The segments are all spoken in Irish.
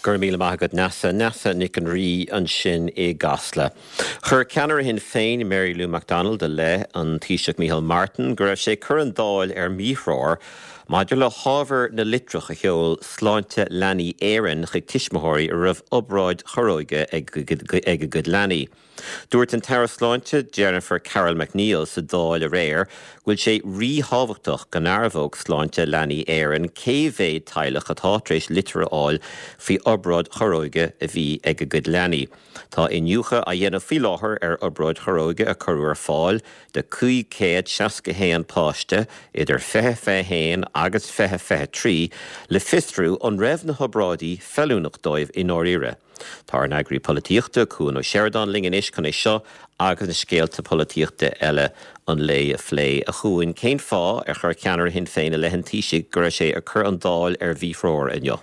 Go raibh míle maith agat Neasa. Neasa Nic an Rí ansin i gCasla. Chuir ceannaire Shinn Féin, Mary Lou McDonald i leith an Taoiseach Micheál Martin go raibh sé ag cur an Dáil ar míthreoir maidir le hábhar na litreach a sheol Sláinte Leanaí Éireann chuig tuismitheoirí a raibh obráid chorróige ag a gcuid leanaí. Dúirt an tAire Sláinte Jennifer Carroll MacNeill sa Dáil aréir go bhfuil sé ríthábhachtach go ndearbhódh Sláinte Leanaí Éireann cé mhéad teaghlach atá tar éis litir a fháil faoi obráid chorróige a bhí ag a gcuid leanaí. Tá iniúchadh á dhéanamh faoi láthair ar obráid chorróige a cuireadh ar fáil do 561 páiste idir 2021 agus 2023 le fiosrú an raibh na hobráidí feiliúnach dóibh i ndáiríre. Tá ár n-eagraí polaitíochta, Cuan Ó Seireadáin linn anois chun é seo agus na scéalta polaitíochta eile an lae a phlé. A Chuain, cén fáth ar chuir ceannaire Shinn Féin i leith an Taoisigh go raibh sé ag cur an Dáil ar mhíthreoir inniu?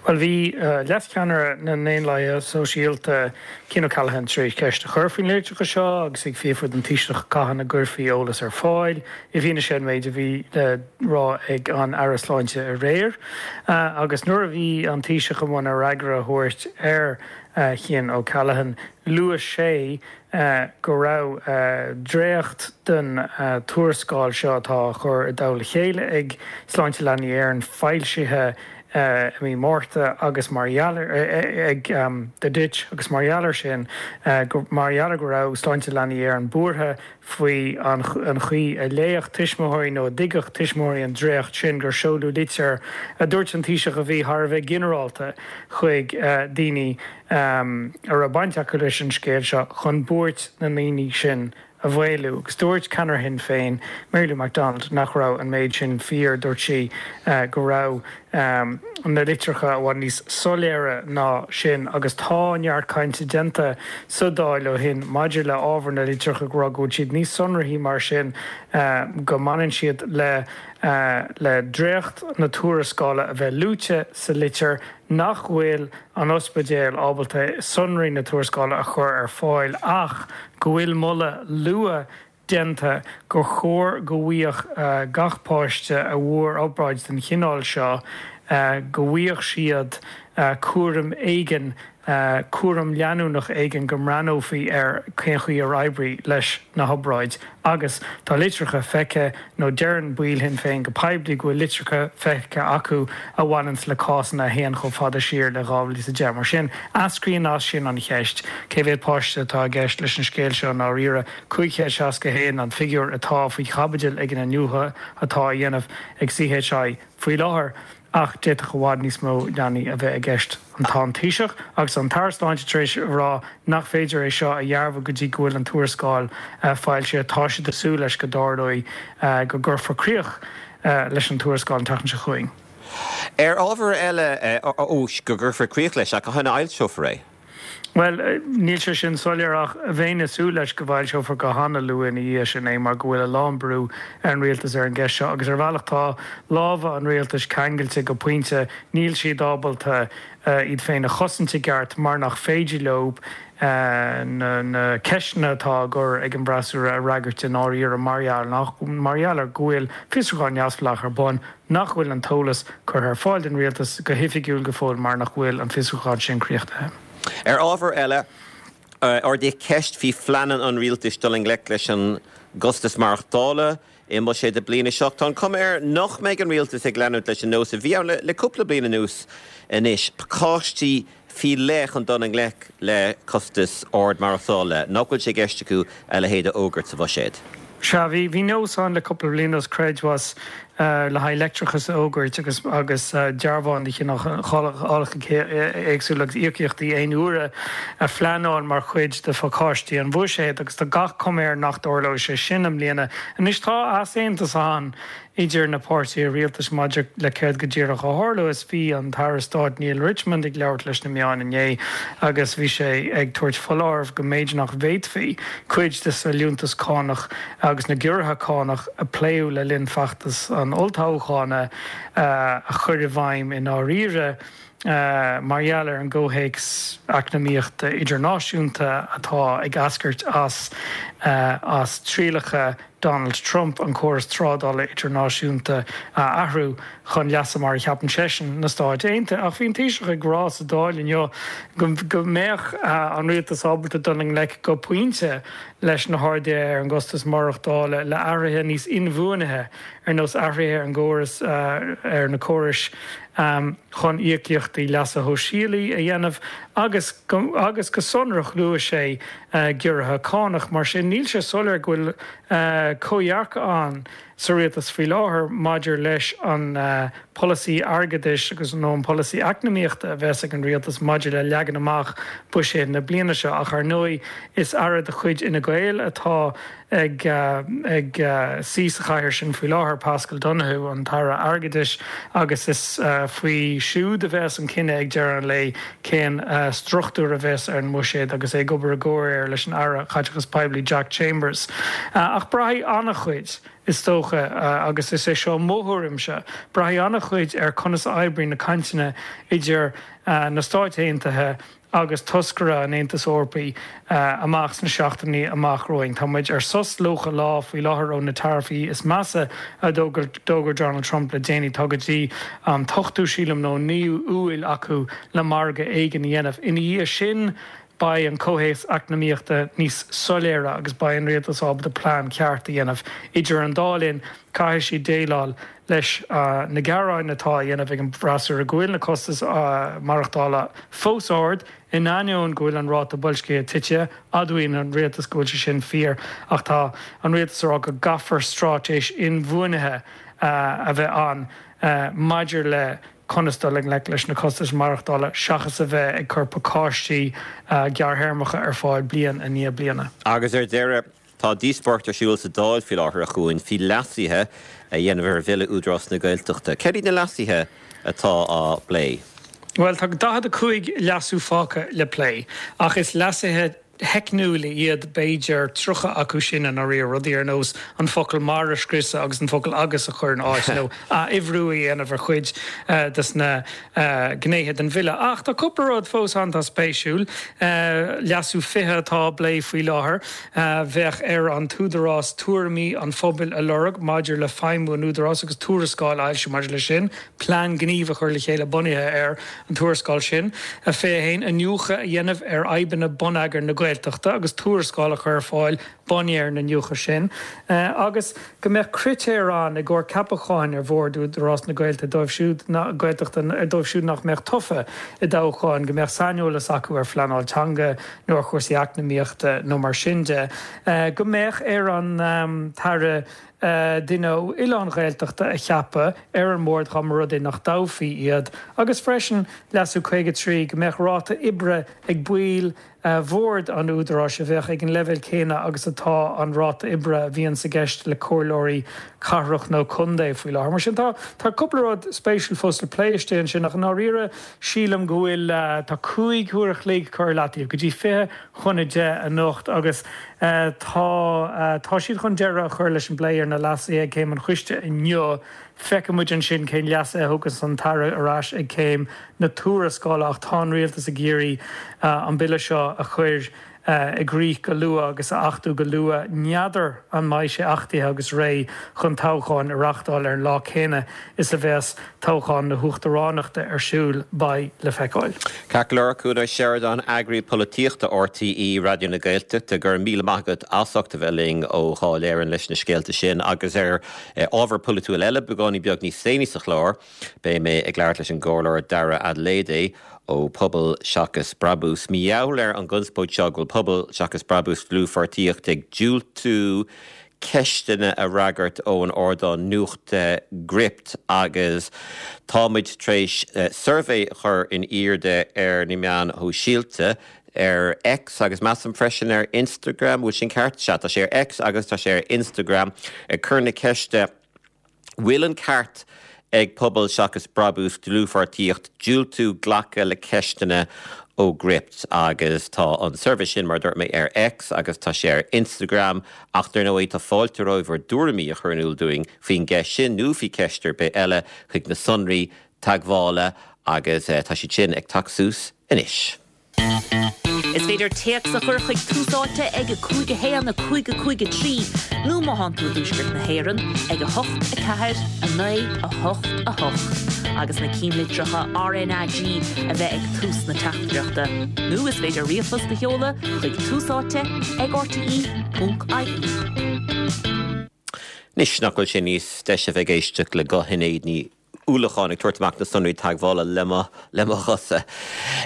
Bhuel, bhí leascheannaire na nDaonlathaithe Sóisialta, Cian O'Callaghan, tar éis ceist a chur faoi na litreacha seo agus ag fiafraí den Taoiseach cathain a gcuirfí eolas ar fáil i bhfianaise an méid a bhí le rá ag an Aire Sláinte aréir. Agus nuair a bhí an Taoiseach i mbun a fhreagra a thabhairt ar Chian O'Callaghan, luaigh sé go raibh dréacht den tuarascáil seo atá á chur i dtoll a chéile ag Sláinte Leanaí Éireann foilsithe i mí Márta agus mar gheall ar ag The Ditch agus mar gheall air sin mar gheall ar go raibh Sláinte Leanaí Éireann buartha faoi an chaoi a léifeadh tuismitheoirí nó a dtuigfeadh tuismitheoirí an dréacht sin gur seoladh litir a dúirt an Taoiseach a bhí thar a bheith ginearálta chuig daoine a raibh baint acu leis an scéal seo chun buairt na ndaoine sin a mhaolú. Agus dúirt ceannaire Shinn Féin, Mary Lou McDonald, nach raibh an méid sin fíor. Dúirt sí go raibh na litreacha i bhfad níos soiléire ná sin agus tá neart cainte déanta sa Dáil ó shin maidir le ábhar na litreacha ag rá go bhfuil siad níos sonraí mar sin go mbaineann siad le le dréacht na tuarascála a bheith luaite sa litir nach bhfuil an ospidéal ábalta sonraí na tuarascála a chur ar fáil ach go bhfuil moladh luath déanta gur chóir go bhfaigheadh gach páiste a bhfuair obráid den chineál seo, go bhfaigheadh siad cúram éigin, cúram leanúnach éigin, go mbreathnófaí ar cén chaoi ar oibrigh leis na hobráid. Agus tá litreacha feicthe, nó deireann baill Shinn Féin go poiblí go bhfuil litreacha feicthe acu a bhaineanns le cásanna a théann chomh fada siar le 2010. Mar sin, eascraíonn as sin an cheist, cé mhéad páiste atá i gceist leis an scéal seo i ndáiríre? 561 an figiúr atá faoi chaibidil ag an iniúchadh atá á dhéanamh ag CHI faoi láthair ach d'fhéadfadh i bhfad níos mó leanaí a bheith i gceist. Tá an Taoiseach agus an tAire Sláinte tar éis a rá nach féidir é seo a dhearbhu go dtí go bhfuil an tuarascáil foilsithe. Tá siad ag súil leis go dtarlóidh go gcuirfear críoch leis an tuarascáil an tseachtain seo chugainn. Ar ábhar eile, ó, go gcuirfear críoch leis, ach cathain a fhoilseofar é? Bhuel, níl sé sin soiléir ach bheinn ag súil leis go bhfoilseofar go hana-luath ina dhiaidh sin é mar go bhfuil a lán brú ar an rialtas ar an gceist seo agus ar bhealach tá lámha an rialtais ceangailte go pointe, níl siad ábalta iad féin a chosaint i gceart mar nach féidir leo na ceisteanna atá á gcur ag an bhfreasúra a fhreagairt i ndáiríre mar gheall ar go bhfuil fiosrúchán neamhspleách ar bun. nach bhfuil an t-eolas curtha ar fáil don rialtas go hoifigiúil go fóill mar nach bhfuil an fiosrúchán sin críochnaithe. Ar ábhar eile, ardaíodh ceist faoi phleananna an rialtais dul i ngleic leis an gcostas maireachtála i mbuiséad na bliana seo. Tá an chuma air nach mbeidh an rialtas ag leanúint leis an nós a bhí ann le cúpla bliain anuas anois, pacáistí faoi leith chun dul i ngleic le costas ard maireachtála, nach bhfuil sé i gceist acu a leithéid a fhógairt sa bhuiséad. Sea, bhí, bhí nós ann le cúpla bliain anuas, creidmheas le haghaidh leictreachas a fhógairt agus, agus dearbháin de chineálacha éagsúla agus íocaíochtaí aon uaire a phleanáil mar chuid de phacáistí an bhuiséid agus tá gach cuma air nach dtarlóidh sé sin i mbliana. Anois tá easaontas ann idir na páirtithe rialtais maidir le céard go díreach a tharlós. Bhí an tAire Stáit Neale Richmond ag labhairt leis na meáin inné agus bhí sé ag tabhairt foláireamh go mb'fhéidir nach bhféadfaí cuid de sa liúntas cánach agus na giorruithe cánach a pléadh le linn feachtas an olltoghcháin a chur i bhfeidhm i ndáiríre. Mar gheall ar an gcomhthéacs eacnamaíochta idirnáisiúnta atá ag eascairt as as trialacha Donald Trump an córas trádála idirnáisiúnta a athrú chun leasa mar a cheapann seisean, na Stáit Aontaithe. Ach bhí an Taoiseach ag rá sa Dáil inniu go mbeadh an rialtas ábalta dul i ngleic go pointe leis na harduithe ar an gcostas maireachtála le athruithe níos inbhuanaithe ar nós athruithe ar an gcóras ar na córais chun íocaíochtaí leasa shóisialaigh a dhéanamh agus agus go sonrach luaigh sé giorruithe cánach. Mar sin níl sé soiléir go bhfuil comhdhearcadh ann sa rialtas faoi láthair maidir leis an polasaí airgeadais agus nó an polasaí eacnamaíochta a bheas ag an rialtas maidir le leagan amach buiséad na bliana seo. Ach ar ndóigh is aire de chuid Fhine Gael atá ag ag suí sa chathaoir sin faoi láthair, Paschal Donohoe, an tAire Airgeadais, agus is faoi siúd a bheas an cinneadh ag deireadh an lae cén struchtúr a bheas ar an mbuiséad agus é ag obair i gcomhréir leis an Aire Caiteachais Poiblí Jack Chambers. Ach braithfidh an-chuid, is dócha, agus is é seo mo thuairimse, braithfidh an-chuid ar conas a oibríonn na cainteanna idir na Stáit Aontaithe agus toscaire an Aontais Eorpaigh amach sna seachtainí amach romhainn. Tá muid ar sos 90 lá faoi láthair ó na taraifí is measa a d'fhógair Donald Trump le déanaí. Tá go dtí an t-ochtú, sílim, nó an 9ú Iúil acu le margadh éigin a dhéanamh. Ina dhiaidh sin, beidh an comhthéacs eacnamaíochta níos soiléire agus beidh an rialtas ábalta plean ceart a dhéanamh. Idir an dá linn, caithfidh siad déileáil leis na gearáin atá á dhéanamh ag an bhfreasúra go bhfuil na costais maireachtála fós ard, in ainneoin go bhfuil an ráta boilscithe tite. Admhaíonn an rialtas go bhfuil sé sin fíor ach tá an rialtas ag rá go gcaithfear straitéis inbhuanaithe a bheith ann maidir le conas dul i ngleic leis na costais maireachtála seachas a bheith ag cur pacáistí gearrthéarmacha ar fáil bliain i ndiaidh bliana. Agus ar deireadh, Tá díospóireacht ar siúl sa Dáil faoi láthair, a Chuain, faoi leasuithe a dhéanamh ar Bhille Údarás na Gaeltachta. Céard iad na leasuithe atá á bplé? Bhuel, tá 45 leasú fágtha le plé, ach is leasuithe teicniúla iad b'fhéidir 30 acu sin i ndáiríre, rudaí ar nós an focal 'mar' a scriosadh agus an focal 'agus' a chur ina áit, nó ath-uimhriú a dhéanamh ar chuid des na gnéithe den bhille. Ach tá cúpla rud fós ann atá spéisiúil. Leasú 20 atá á bplé faoi láthair. Bheadh ar an t-údarás tuairimí an phobail a lorg maidir le feidhmiú an údaráis agus tuarascáil a fhoilsiú maidir leis sin, plean gnímh a chur le chéile bunaithe ar an tuarascáil sin. 21, Iniúchadh a dhéanamh ar fhadhbanna bonneagair na Gaeltachta agus tuarascáil a chur ar fáil bunaithe ar an iniúchadh sin, agus go mbeadh critéir ann i gcomhair ceapacháin ar bhord Údarás na Gaeilge dóibh siúd Gaeltachta dóibh siúd nach mbeadh tofa i dtoghcháin, go mbeadh saineolas acu ar phleanáil teanga nó ar chúrsaí eacnamaíochta nó mar sin de, go mbeadh ar an tAire duine ó oileán Ghaeltachta a cheapadh ar an mbord dá mba rud é nach dtoghfaí iad, agus freisin, Leasú 53, go mbeadh ráta oibre ag baill Bhord an Údaráis a bheadh ag an leibhéal céanna agus atá an ráta oibre a bhíonns i gceist le comhairleoirí cathrach nó contae faoi láthair. Mar sin tá tá cúpla rud spéisiúil fós le plé istigh ansin ach i ndáiríre sílim go bhfuil tá 5 huair a chloig curtha i leataobh go dtí 9:40 anocht agus tá tá siad chun deireadh a chur leis an bplé ar na leasuithe ag Céim an Choiste inniu. Feicfidh muid ansin cén leasuithe a thugas an tAire ar ais ag céim na tuarascála ach tá an Rialtas ag iarraidh an bille seo a chur i gcrích go luath agus a achtú go luath. N'fheadar an mbeidh sé achtaithe agus réidh chun toghcháin a reáchtáil ar an lá céanna is a bheas toghchán na huachtaránachta ar siúl. Beidh le feiceáil. Ceart go leor, Cuan Ó Seireadáin, Eagraí Polaitíochta RTÉ Raidió na Gaeltachta, go raibh míle maith agat as ucht a bheith linn ó Dháil Éireann leis na scéalta sin agus ar ábhar polaitiúil eile, beagáinín beag níos déanaí sa chlár, beidh mé ag labhairt leis an gComhairleoir Dara Adeleye ó Pobal Seachas Brabús. Mar gheall ar an gconspóid seo go bhfuil Pobal Seachas Brabús Dlúthpháirtíocht ag diúltú ceisteanna a fhreagairt ón ardán nuachta Gript agus tá muid tar éis suirbhé a chur in airde ar na meáin shóisialta ar X agus measaim freisin ar Instagram, bhfuil sin ceart? Sea, tá sé ar X agus tá sé ar Instagram ag cur na ceiste Bhfuil an ceart ag Pobal Seachas Brabús Dlúthpháirtíocht diúltú glacadh le ceisteanna ó Gript? Agus tá an suirbhé sin, mar a dúirt mé, ar X agus tá sé ar Instagram ach dar ndóigh tá fáilte romhaibh bhur dtuairimí a chur in iúl dúinn faoin gceist sin nó faoi cheist ar bith eile chuig na sonraí teagmhála. Agus tá siad sin ag teacht suas anois. Is féidir téacs a chur chuig Tús Áite ag 5 1 5 5 3 nó má thánn tú i dTuaisceart na hÉireann ag 8 4 9 8 8 agus na cinnlitreacha RnaG a bheith ag tús na teachtaireachta. Nó is féidir ríomhphost a sheoladh chuig túsáite ag rte.ie. Anois nach bhfuil sé níos deise a bheith ag éisteacht le guth Shinéad Ní Uallacháin ag tabhairt amach na sonraí teagmhála le mo le mo ghuthsa.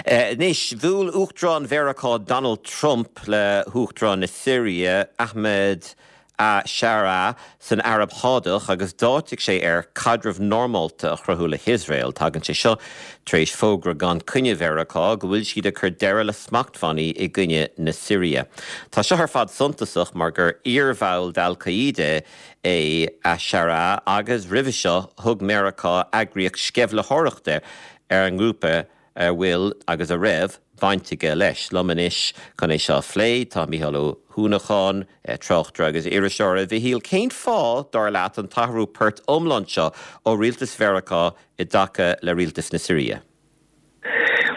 Anois, bhuail Uachtarán Mheiriceá Donald Trump le hUachtarán na Siria, Ahmed a-Sharaa, san Araib Shádach agus d'áitigh sé air caidreamh normálta a chruthú le hIosrael. Tagann sé seo tar éis fógra gan coinne Mheiriceá go bhfuil siad ag cur deireadh le smachtbhannaí i gcoinne na Siria. Tá seo ar fad suntasach mar gur iarbhall d'Al-Qaeda é a-Sharaa agus roimhe seo thug Meiriceá eagraíocht sceimhlitheoireachta ar an ngrúpa a bhfuil, agus a raibh, baint aige leis. Liom anois chun é seo a phlé tá Mícheál Ó hUanacháin, tráchtaire agus iriseoir. A Mhichíl, cén fáth, dar leat, an t-athrú poirt iomlán seo ó rialtas Mheiriceá i dtaca le rialtas na Siria?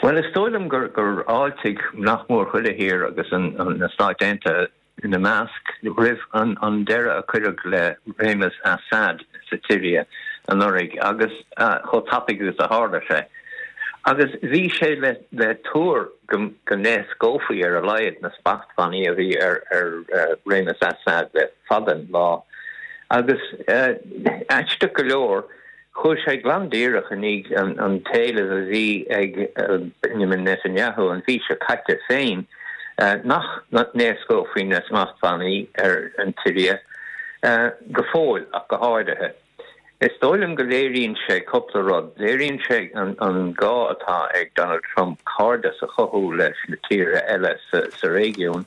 Bhuel, is dóigh liom gur fháiltigh nach mór chuile thír agus na Stáit Aontaithe ina measc, roimh an deireadh a cuireadh le réimeas Assad sa tSiria anuraidh agus chomh tapaidh agus a tharla sé. Agus bhí sé le tuar go n-éascófaí ar a laghad na smachtbhannaí a bhí ar réimeas Assad le fada an lá. Agus aisteach go leor, Chuaigh sé glan díreach i ndiaidh an t-éileamh a bhí ag Benjamin Netanyahu an mhí seo caite féin nach n-éascófaí na smachtbhannaí ar an tSiria, go fóill ach go háirithe. Is dóigh liom go léiríonn sé cúpla rud. Léiríonn sé an gá atá ag Donald Trump cairdeas a chothú leis na tíortha eile sa réigiún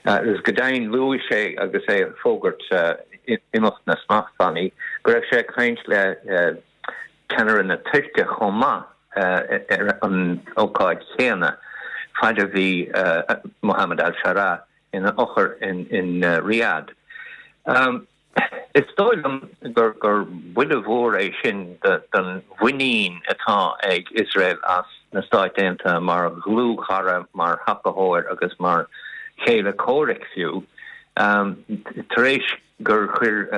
agus go deimhin luaigh sé agus é ag fógairt imeacht na smachtbhannaí, go raibh sé ag caint le ceannaire na Tuirce chomh maith ar an ócáid chéanna, faid a bhí Mohammed al-Sharaa ina fhochair in Riyadh. Is dóigh liom gur buille mhór é sin don mhuinín atá ag Iosrael as na Stáit Aontaithe mar dhlúthchara, mar thacaitheoir agus mar chéile comhraic fiú. Tar éis gur chuir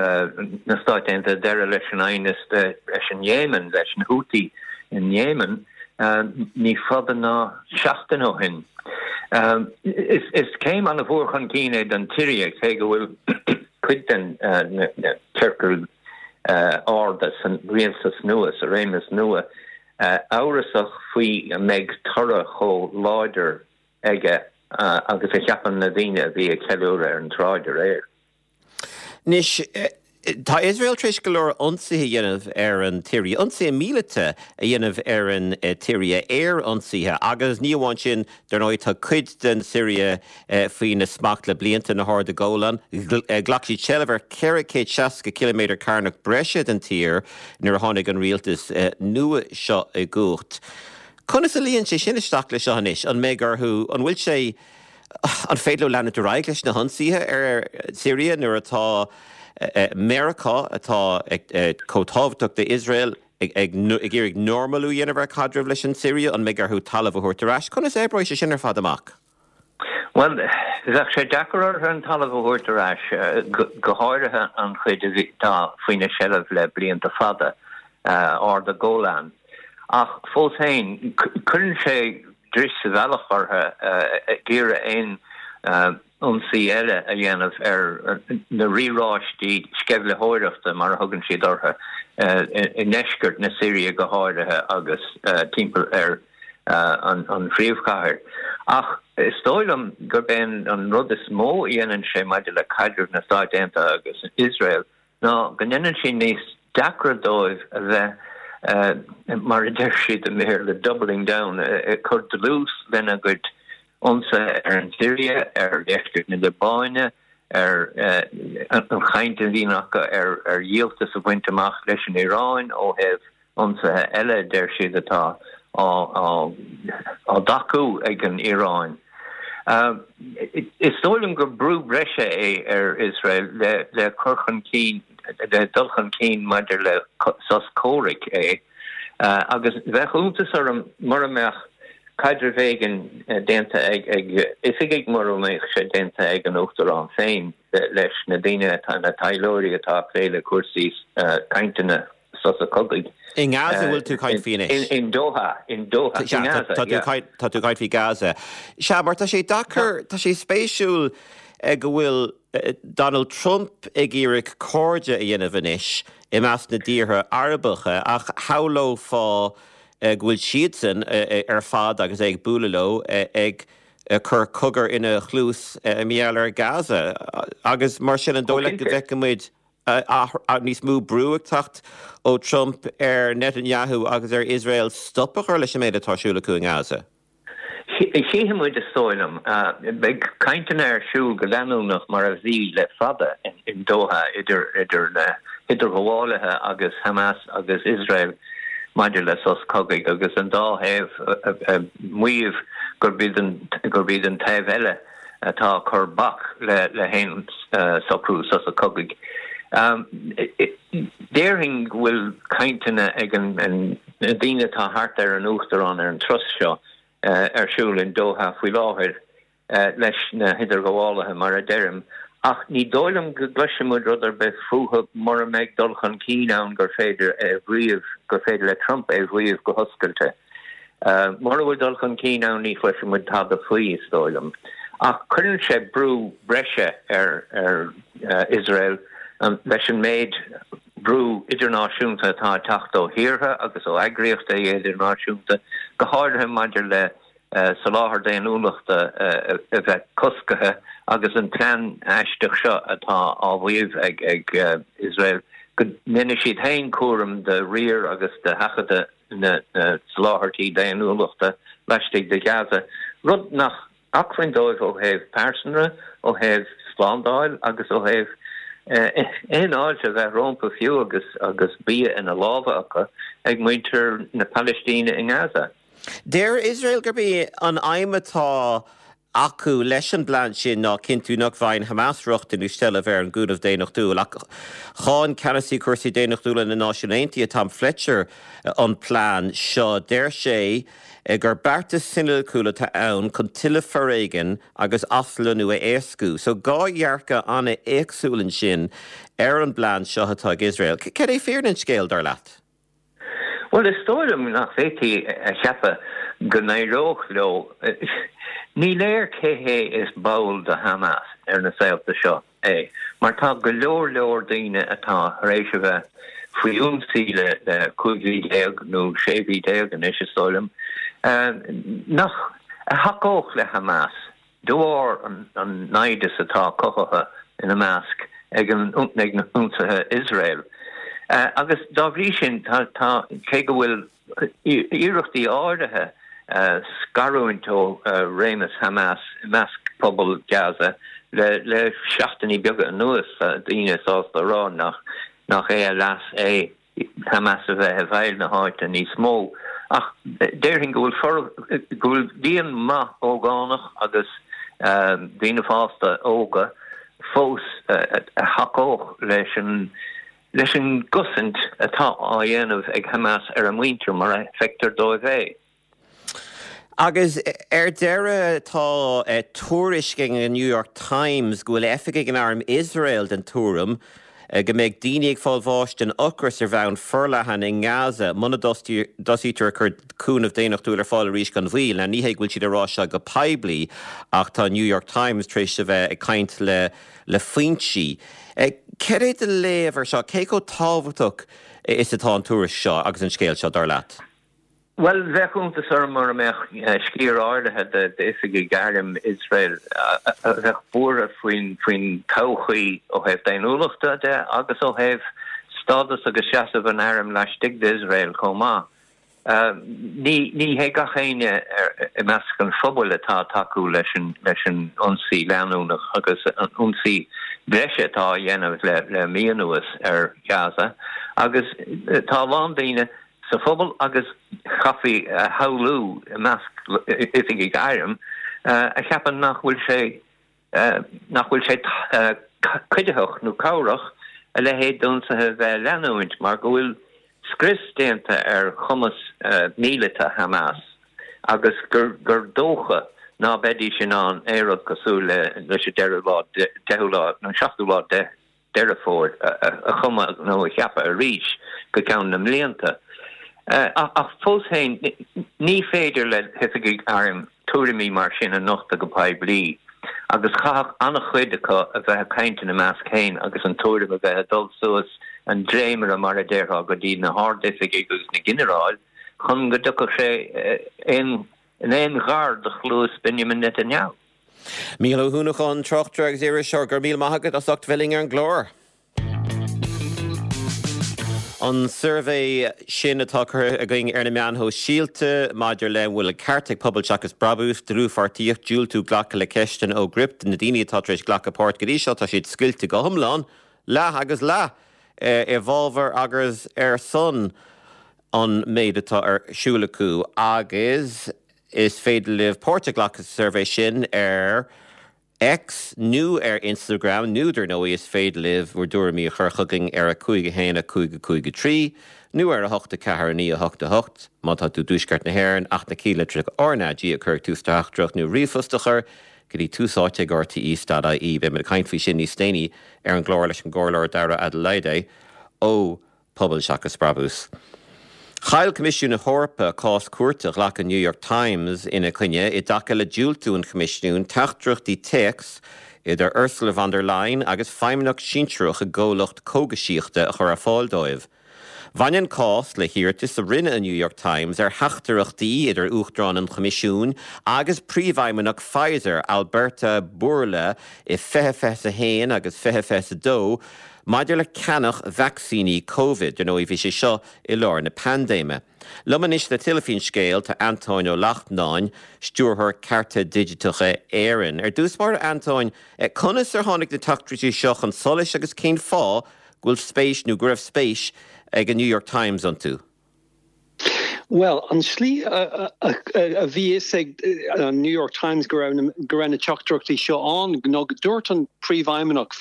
na Stáit Aontaithe deireadh leis an aighneas leis an Éimin, leis na Houthi in Éimin, ní fada ná seachtain ó shin. Is céim an-mhór chun cinn é don tSiria, cé go bhfuil cuid den na ciorcail arda san rialtas nua, sa réimeas nua, amhrasach faoi an mbeidh toradh chomh láidir aige agus a cheapann na daoine a bhí ag ceiliúradh ar an tsráid aréir. Anois, tá Iosrael tar éis go leor ionsaithe a dhéanamh ar an tSiria, ionsaithe míleata a dhéanamh ar an tSiria, aerionsaithe, agus ní amháin sin, dar ndóigh, tá cuid den Siria faoina smacht le blianta, na hArda Golan. Ghlac siad seilbh ar 460 ciliméadar cearnach breise den tír nuair a tháinig an rialtas nua seo i gcumhacht. Conas a luíonn sé sin isteach le seo anois? An mbeidh orthu, an bhfuil sé, an féidir leo leanúint ar aghaidh leis na hionsaithe ar Syria nuair atá Meiriceá, atá chomh tábhachtach d'Iosrael, ag iarraidh normalú a dhéanamh ar chaidreamh leis an tSiria? An mbeidh orthu talamh a thabhairt ar ais? Conas a oibreoidh sé sin ar fad amach? Bhuel, bheadh sé deacair orthu an talamh a thabhairt ar ais, go háirithe an chuid atá faoina seilbh le blianta fada, Arda Golan. Ach fós féin, cuireann sé dris sa bhealach orthu ag iarraidh aon ionsaí eile a dhéanamh ar na riaráistí sceimhlitheoireachta, mar a thugann siad orthu, i ndeisceart na Siria go háirithe agus timpeall ar an phríomhchathair. Ach is dóigh liom gurb é an rud is mó a dhéanann sé maidir le caidreamh na Stáit Aontaithe agus Iosrael ná go ndéanann sé níos deacra dóibh a bheith, mar a deir siad i mBéarla, doubling down, ag cur dlús lena gcuid ionsaithe ar an tSiria, ar dheisceart na Liobáine, ar an chaint a bhíonn acu ar dhíoltas a bhaint amach leis an Iaráin ó thaobh ionsaithe eile a deir siad atá á dtacú ag an Iaráin. Is dóigh liom gur brú breise é ar Iosrael le cur chun cinn, le dul chun cinn maidir le sos comhraic é. Agus bheadh iontas orm mura mbeadh caidreamh éigin déanta ag oifigigh, mura mbeadh sé déanta ag an Uachtarán féin leis na daoine atá, na taidhleoirí atá ag plé le cúrsaí cainteanna sosa cogaidh. I nGaza a bhfuil tú ag caint faoi anois? In Doha, in Doha, i nGaza, yeah. Tá tú ag caint faoi Gaza. Sea, mar tá sé deacair, tá sé spéisiúil go bhfuil Donald Trump ag iarraidh cairde a dhéanamh anois i measc na dtíortha Arabacha ach shamhlófá go bhfuil siadsan ar fad agus é ag bualadh leo ag cur cogar ina chluas mar gheall ar Gaza agus mar sin an dóigh leat go bhfeicfidh muid níos mó brú ag teacht ó Trump ar Netanyahu agus ar Iosrael stop a chur leis an méid atá ar siúl acu i nGaza? Chífidh muid, is dóigh liom. Beidh cainteanna ar siúl go leanúnach mar a bhí le fada in Doha idir na hidirghabhálaithe agus Hamas agus Iosrael maidir le sos cogaidh agus an dá thaobh ag maíomh gurb iad an taobh eile atá ag cur bac le haon socrú sosa cogaidh. Déarfainn go bhfuil cainteanna ag na daoine atá thart ar an Uachtarán ar an turas seo ar siúl in Doha faoi láthair leis na hidirghabhálaithe, mar a deirim, ach ní dóigh liom go gcloisfidh muid rud ar bith fúthu mura mbeidh dul chun cinn ann gur féidir é a mhaíomh, gur féidir le Trump é a mhaíomh go hoscailte. Mura bhfuil dul chun cinn ann ní chloisfidh muid tada faoi, is dóigh liom. Ach cuireann sé brú breise ar Iosrael leis an méid brú idirnáisiúnta atá ag teacht ó thíortha agus ó eagraíochtaí idirnáisiúnta, go háirithe maidir le soláthar daonnúlachta a bheith coscaithe agus an plean aisteach seo atá á mhaíomh ag Iosrael go ndéanfaidh siad féin cúram de riar agus de sheachadadh na soláthairtí daonnúlachta laistigh de Ghaza, rud nach acmhainn dóibh ó thaobh pearsanra, ó thaobh slándáil agus ó thaobh aon fháilte a bheith rompu fiú agus agus bia ina lámha acu ag muintir na Palaistíne i nGaza. Deir Iosrael gurb í an aidhm atá acu leis an bplean sin ná cinntiú nach bhfaigheann Hamas rochtain nó seilbh ar an gcúnamh daonnachtúil. Ach cháin Ceannasaí Cúrsaí Daonnachtúla na Náisiún Aontaithe, Tom Fletcher, an plean seo. Deir sé gur beartas soiniciúil atá ann chun tuilleadh foréigin agus aslonnú a éascú. So 2 dhearcadh an-éagsúil ansin ar an bplean seo atá ag Iosrael. Cad é fírinne an scéil, dar leat? Bhuel, is dóigh liom nach bhféadfaí a cheapadh go n-éireodh leo. Ní léir cé hé is ball de Hamas ar na saolta seo é, mar tá go leor leor daoine atá tar éis a bheith faoi ionsaí le 15 mhí nó 16 mhí anois, is dóigh liom, nach a thacódh le Hamas. De bharr an naimhdeas atá cothaithe ina measc ag na hionsaithe Iosrael. Agus dá bhrí sin, tá, cé go bhfuil iarrachtaí áirithe scarúint ó réimeas Hamas i measc pobal Gaza le seachtainí beaga anuas, tá daoine sásta a rá nach é a leas é Hamas a bheith i bhfeighil na háite níos mó, ach déarfainn go bhfuil go bhfuil líon maith ógánach agus daoine fásta óga fós a thacódh leis an leis an gcosaint atá á dhéanamh ag Hamas ar a muintir mar a feictear dóibh é. Agus ar deireadh, tá tuairisc ag an New York Times go bhfuil oifigigh in arm Iosrael den tuairim go mbeidh daoine ag fáil bháis den ocras ar bhonn forleathan i nGaza muna dtosaítear ag cur cúnamh daonnachtúil ar fáil arís gan mhoill. Now ní hé go bhfuil siad ag rá seo go poiblí ach tá an New York Times tar éis a bheith ag caint le le foinsí. Cad é do léamh ar seo? Cé chomh tábhachtach is atá an tuairisc seo agus an scéal seo, dar leat? Bhuel, bheadh iontas orm mura mbeadh sciar áirithe d'oifigigh airm Iosrael a bheadh buartha faoin todhchaí ó thaobh daonnúlachta de agus ó thaobh stádas agus seasamh an airm laistigh d'Iosrael chomh maith. Ní hé gach éinne i measc an phobail atá ag tacú leis an ionsaí leanúnach agus an ionsaí breise atá á dhéanamh le mí anuas ar Ghaza agus tá a lán daoine sa phobal agus chaithfí a shamhlú i measc oifigigh airm a cheapann nach bhfuil sé nach bhfuil sé cuiditheach nó cabhrach a leithéid d'ionsaithe a bheith ag leanúint mar go bhfuil. scrios déanta ar chumas míleata Hamas agus gur dócha ná beidís in ann aon rud cosúil leis an deireadh lá, deichiú lá nó seachtú lá de Deireadh Fómhair a chumadh nó a cheapadh arís go ceann na mblianta. Ach fós féin, ní féidir le hoifigigh airm tuairimí mar sin a nochtadh go poiblí agus chaithfeadh an-chuid acu a bheith ag caint ina measc féin agus an tuairim a bheith ag dul suas an dréimire, mar a déarfá, go dtí na hardoifigigh agus na ginearáil chun go dtiocfadh sé in aon ghar do chluas Benjamin Netanyahu. Mícheál Ó hUanacháin, tráchtaire agus iriseoir, go raibh míle maith agat as ucht bheith linn ar an gclár. An suirbhé sin atá curtha againn ar na meáin shóisialta maidir le an bhfuil an ceart ag Pobal Seachas Brabús, dlúthpháirtíocht, diúltú glacadh le ceisteanna ó Gript, na daoine atá tar éis glacadh páirt go dtí seo, tá siad scoilte go hiomlán, leath agus leath, i bhfabhar agus ar son an méid atá ar siúl acu agus is féidir libh páirt a ghlacadh sa suirbhé sin ar X nó ar Instagram nó dar ndóigh is féidir libh bhur dtuairimí a chur chugainn ar 5 1 5 5 3 nó ar 8 4 9 8 8 má tá tú i dTuaisceart na hÉireann ach na céadlitreacha RnaG a chur ag tús do theachtaireacht nó ríomhphost a chur go dtí tús áite ag rte.ie. Beidh muid ag caint faoi sin níos déanaí ar an gclár leis an gComhairleoir Dara Adeleye ó Pobal Seachas Brabús. Chaill Coimisiún na hEorpa cás cúirte a ghlac an New York Times ina coinne i dtaca le diúltú an Choimisiúin teachtaireachtaí téacs idir Ursula von der Leyen agus feidhmeannach sinsearach i gcomhlacht cógaisíochta a chur ar fáil dóibh. Bhain an cás le hiarratas a rinne an New York Times ar theachtaireachtaí idir Uachtarán an Choimisiúin agus príomhfheidhmeannach Pfizer, Alberto Bourla i 2021 agus 2022 Maidir le ceannach vacsaíní Covid, dar ndóigh bhí sé seo i lár na paindéime. Liom anois le tuilleadh faoin scéal tá Antóin Ó Lachtnáin, Stiúrthóir Cearta Digiteacha Éireann. Ar dtús báire Antóin, conas ar tháinig na teachtaireachtaí seo chun solais agus cén fáth go bhfuil spéis nó go raibh spéis ag an New York Times iontu? Bhuel, an slí a bhí fhios ag an New York Times go raibh go raibh na teachtaireachtaí seo ann ná go dúirt an príomhfheidhmeannach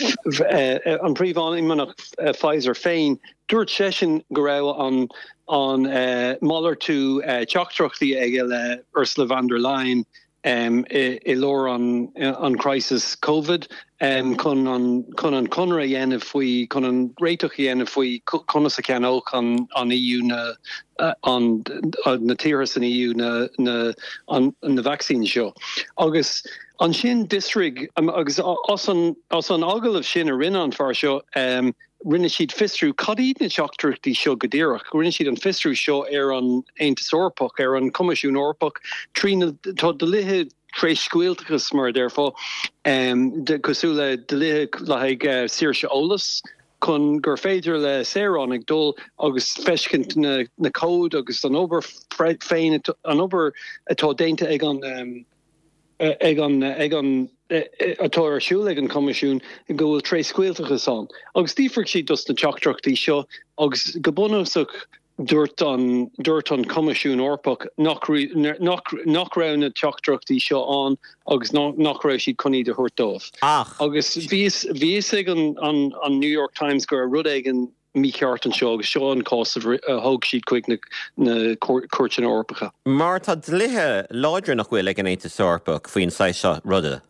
an príomhfheidhmeannach Pfizer féin, dúirt seisean go raibh an an malartú teachtaireachtaí aige le Ursula von der Leyen i lár an crisis Covid chun an chun an conradh a dhéanamh faoi chun an réiteach a dhéanamh faoi conas a cheannódh an an EU na an na tíortha san EU na na an na vacsaíní seo. Agus ansin d'fhiosraigh agus as an as an agallamh sin a rinne an fear seo Rinne siad fiosrú cad iad na teachtaireachtaí seo go díreach. Rinne siad an fiosrú seo ar an Aontas Eorpach, ar an Choimisiún Eorpach, trí na, tá dlíthe tréscaoilteachais, mar a déarfá, cosúil le dlíthe le haghaidh saoirse eolais, chun gur féidir le saoránaigh dul agus feiscint na na comhaid agus an obair féin, an obair atá déanta ag an. ag an ag an atá ar siúl ag an Choimisiún go bhfuil tréscaoilteachas ann. Agus d'fhiafraigh siad dos na teachtaireachtaí seo agus go bunúsach dúirt an dúirt an Coimisiún Eorpach nach nach nach raibh na teachtaireachtaí seo ann agus nach nach raibh siad chun iad a thabhairt dóibh. Ach. Agus bhí bhí fhios ag an an an New York Times go raibh rud éigin mícheart anseo agus seo an cás a thóg siad chuig na cúirteanna Eorpacha. Mar tá dlíthe láidre nach bhfuil ag an Aontas Eorpach faoin saghas seo ruda.